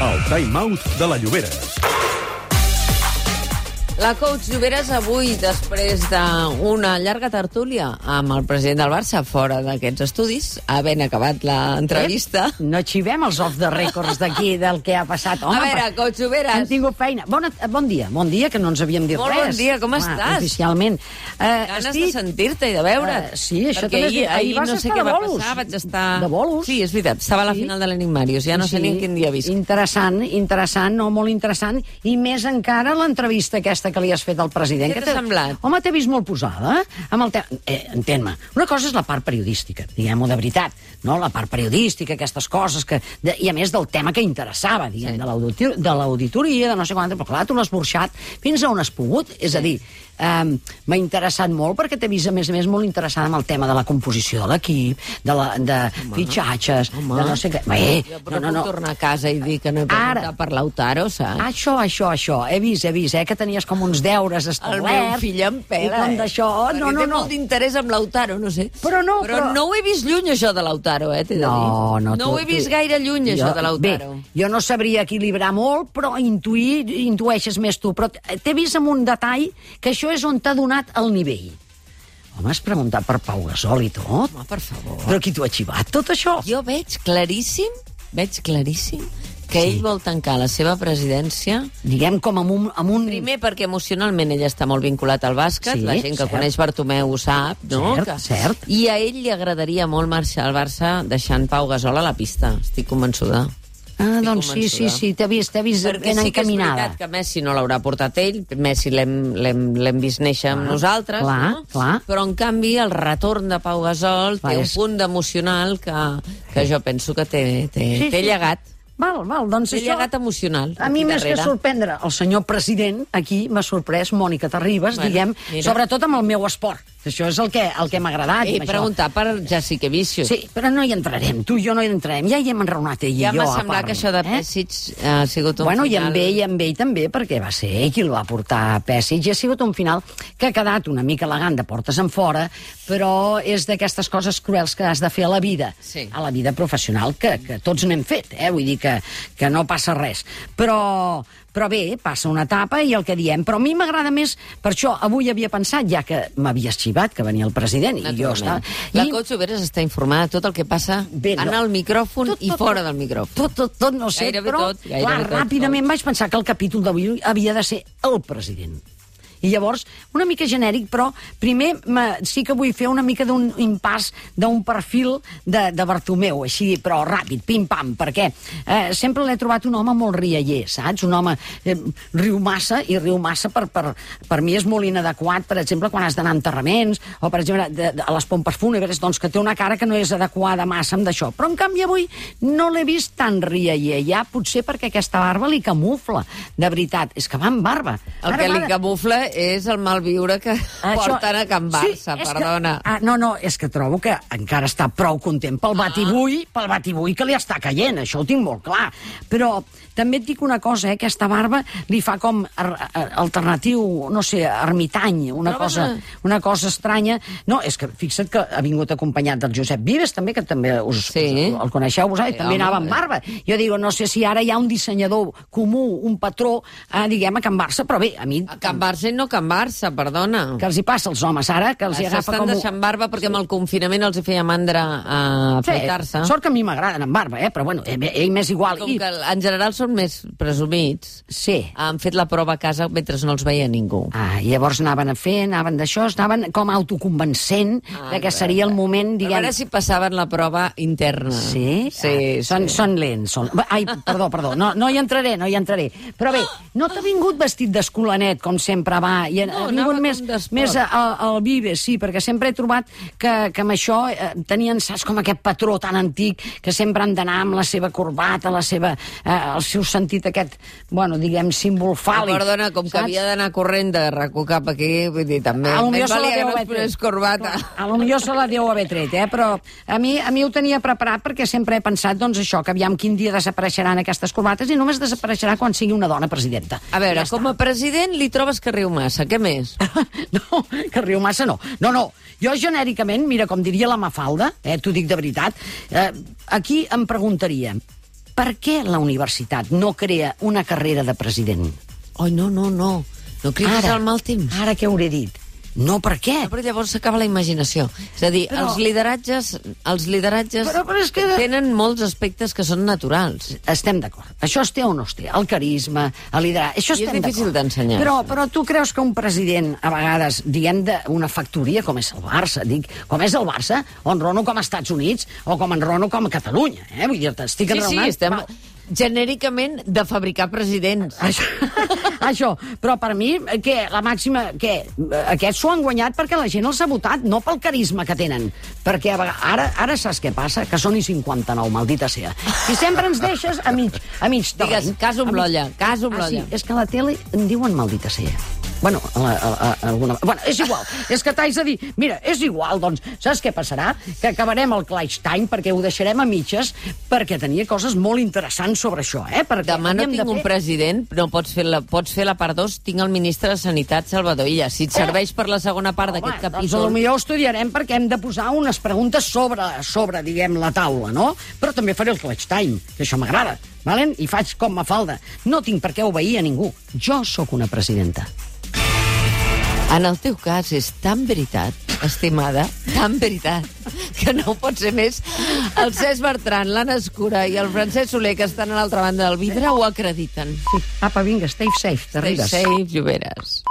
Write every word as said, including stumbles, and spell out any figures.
El time-out de la Lloberes. La coach Lloberes avui, després d'una llarga tertúlia amb el president del Barça fora d'aquests estudis, havent acabat l'entrevista... Eh? No xivem els off the records d'aquí, del que ha passat. Home, a veure, coach Lloberes... Hem tingut feina. Bona, bon dia, bon dia, que no ens havíem dit Molt res. Molt bon dia, com Home, estàs? Oficialment. Uh, Ganes estic... de sentir-te i de veure't. Uh, sí, això perquè també... ahir, ahir vas no sé què va passar, vaig estar... De bolos. Sí, és veritat, estava a la sí. final de l'Enigmàrius, ja no sí. sé ni en quin dia visc. Interessant, interessant, no, molt interessant, i més encara l'entrevista aquesta que li has fet al president. Què t'ha semblat? Home, t'he vist molt posada, eh? Amb el te... eh, entén-me, una cosa és la part periodística, diguem-ho de veritat, no? La part periodística, aquestes coses, que... De... i a més del tema que interessava, diguem, sí. de l'auditoria, de no sé quant, però clar, tu l'has burxat fins a on has pogut, és sí. a dir, Um, m'ha interessat molt perquè t'he vist, a més a més, molt interessant amb el tema de la composició de l'equip, de, la, de home, fitxatges, home. de no sé què. Bé, jo però no, no, no. puc tornar a casa i dir que no he preguntat per Lautaro, saps? Això, això, això. He vist, he vist, eh, que tenies com uns deures establerts. El meu fill em pela, i com d'això, eh? no, no, té no. molt d'interès amb Lautaro, no sé. Però no, però... però... no ho he vist lluny, això de Lautaro, eh, t'he de dir. No, no. No tu, ho he vist tu... gaire lluny, jo, això de Lautaro. Bé, jo no sabria equilibrar molt, però intuir, intueixes més tu. Però t'he vist amb un detall que això és on t'ha donat el nivell. Home, has preguntat per Pau Gasol i tot? Home, per favor. Però qui t'ho ha xivat, tot això? Jo veig claríssim, veig claríssim que sí. ell vol tancar la seva presidència... Diguem com amb un... Amb un... Primer perquè emocionalment ell està molt vinculat al bàsquet, sí, la gent que cert. coneix Bartomeu ho sap, no? Cert, que... cert. I a ell li agradaria molt marxar al Barça deixant Pau Gasol a la pista, estic convençuda. Ah, doncs sí, sí, sí, t'he vist, t'he vist perquè ben sí que encaminada. és veritat que Messi no l'haurà portat ell, Messi l'hem vist néixer amb nosaltres, clar, no? clar. Però en canvi el retorn de Pau Gasol clar, té un és... punt d'emocional que, que jo penso que té, té, sí, té sí. llegat. Val, val, doncs té això... llegat emocional. A mi, més que sorprendre el senyor president, aquí m'ha sorprès Mònica Terribas, bueno, diguem, mira. sobretot amb el meu esport. Això és el que, el que m'ha agradat. He preguntat per Jessica Vicious. Sí, però no hi entrarem. Tu i jo no hi entrarem. Ja hi hem enraonat ell ja i jo. Ja m'ha semblat que això de Pesic eh? ha sigut un bueno, final... Bueno, i amb ell, amb ell també, perquè va ser ell qui el va portar a Pesic. I ha sigut un final que ha quedat una mica elegant de portes en fora, però és d'aquestes coses cruels que has de fer a la vida, sí. a la vida professional, que, que tots n'hem fet, eh? Vull dir que, que no passa res. Però... Però bé, passa una etapa i el que diem. Però a mi m'agrada més, per això avui havia pensat, ja que m'havies xivat, que venia el president, i jo estava... La coach Lloberes està informada de tot el que passa bé, no. en el micròfon tot, tot, i fora del micròfon. Tot, tot, tot, no sé, gairebé però tot, gairebé clar, tot, ràpidament tot. vaig pensar que el capítol d'avui havia de ser el president. I llavors, una mica genèric, però primer sí que vull fer una mica d'un impàs d'un perfil de, de Bartomeu, així, però ràpid, pim-pam, perquè eh, sempre l'he trobat un home molt rialler, saps? Un home eh, riu massa, i riu massa per, per, per mi és molt inadequat, per exemple, quan has d'anar a enterraments, o per exemple, de, de, a les pompes fúnebres, doncs que té una cara que no és adequada massa amb d'això. Però en canvi avui no l'he vist tan rialler, ja potser perquè aquesta barba li camufla, de veritat, és que va amb barba. El Ara, que li camufla és el malviure que això, porten a Can Barça, sí, perdona. Que, ah, no, no, és que trobo que encara està prou content pel batibull, ah. pel batibull que li està caient, això ho tinc molt clar. Però també et dic una cosa, eh, aquesta barba li fa com alternatiu, no sé, ermitany, una, no, cosa, una cosa estranya. No, és que fixa't que ha vingut acompanyat del Josep Vives, també, que també us, sí. us el coneixeu vosaltres, sí, també home, anava amb barba. Jo digo, no sé si ara hi ha un dissenyador comú, un patró, eh, diguem, a Can Barça, però bé, a mi... A Can Barça i no Can Barça, perdona. Que els hi passa als homes ara, que els hi agafa com... S'estan deixant barba perquè amb el confinament els hi feia mandra a afaitar-se. Sí, sort que a mi m'agraden amb barba, eh? Però bueno, ell, ell m'és igual. Com que en general són més presumits, sí. han fet la prova a casa mentre no els veia ningú. Ah, i llavors anaven a fer, anaven d'això, anaven com autoconvencent ah, de que seria el moment, diguem... A veure si passaven la prova interna. Sí? Sí, ah, són, sí. Són lents. Són... Ai, perdó, perdó, no, no hi entraré, no hi entraré. Però bé, no t'ha vingut vestit d'escolanet, com sempre va, i no, ha vingut més, més al, al Vives, sí, perquè sempre he trobat que, que amb això eh, tenien, saps, com aquest patró tan antic, que sempre han d'anar amb la seva corbata, la seva, eh, el seu sentit aquest, bueno, diguem, símbol fàl·lic. No, perdona, com saps? Que havia d'anar corrent de RAC1 cap aquí, vull dir, també... A lo millor se la deu haver tret. Corbata. A lo millor se la deu haver tret, eh? Però a mi, a mi ho tenia preparat perquè sempre he pensat, doncs, això, que aviam quin dia desapareixeran aquestes corbates i només desapareixerà quan sigui una dona presidenta. A veure, ja com a president li trobes que riu massa, què més? No, que riu massa no. No, no, jo genèricament, mira, com diria la Mafalda, eh, t'ho dic de veritat, eh, aquí em preguntaria, per què la universitat no crea una carrera de president? Oi, no, no, no. No cridis al mal temps. Ara què hauré dit? No, per què? No, però llavors s'acaba la imaginació. És a dir, però... els lideratges, els lideratges però, però és que... tenen molts aspectes que són naturals. Estem d'acord. Això es té o no es té? El carisma, el lideratge... Això I estem és difícil d'ensenyar. Però, però tu creus que un president, a vegades, diguem d'una factoria, com és el Barça, dic, com és el Barça, o enrono com a Estats Units, o com enrono com a Catalunya, eh? Vull dir, t'estic sí, enraonant. Sí, estem... Va. Genèricament de fabricar presidents. Això, això, però per mi, què, la màxima, què, aquests s'ho han guanyat perquè la gent els ha votat, no pel carisma que tenen. Perquè a vegades, ara, ara saps què passa? Que són i cinquanta-nou, maldita sea. I sempre ens deixes a mig, a mig terreny. Digues, cas amb l'olla, cas amb l'olla. Ah, sí, és que a la tele en diuen maldita sea. Bueno, a la, a, a, a alguna... bueno, és igual. És que t'haig de dir, mira, és igual, doncs, saps què passarà? Que acabarem el Clutch Time perquè ho deixarem a mitges, perquè tenia coses molt interessants sobre això, eh? Perquè demà no tinc de fer... un president, no pots fer la, pots fer la part dos, tinc el ministre de Sanitat, Salvador Illa. Si et serveix per la segona part d'aquest capítol... Doncs potser ho estudiarem perquè hem de posar unes preguntes sobre, sobre, diguem, la taula, no? Però també faré el Clutch Time, que això m'agrada, valen? I faig com Mafalda. No tinc per què obeir a ningú. Jo sóc una presidenta. En el teu cas és tan veritat, estimada, tan veritat, que no pot ser més. El Cesc Bertran, l'Anna Escura i el Francesc Soler, que estan a l'altra banda del vidre, ho acrediten. Sí. Apa, vinga, stay safe, t'arribes. Stay safe, Lloberes.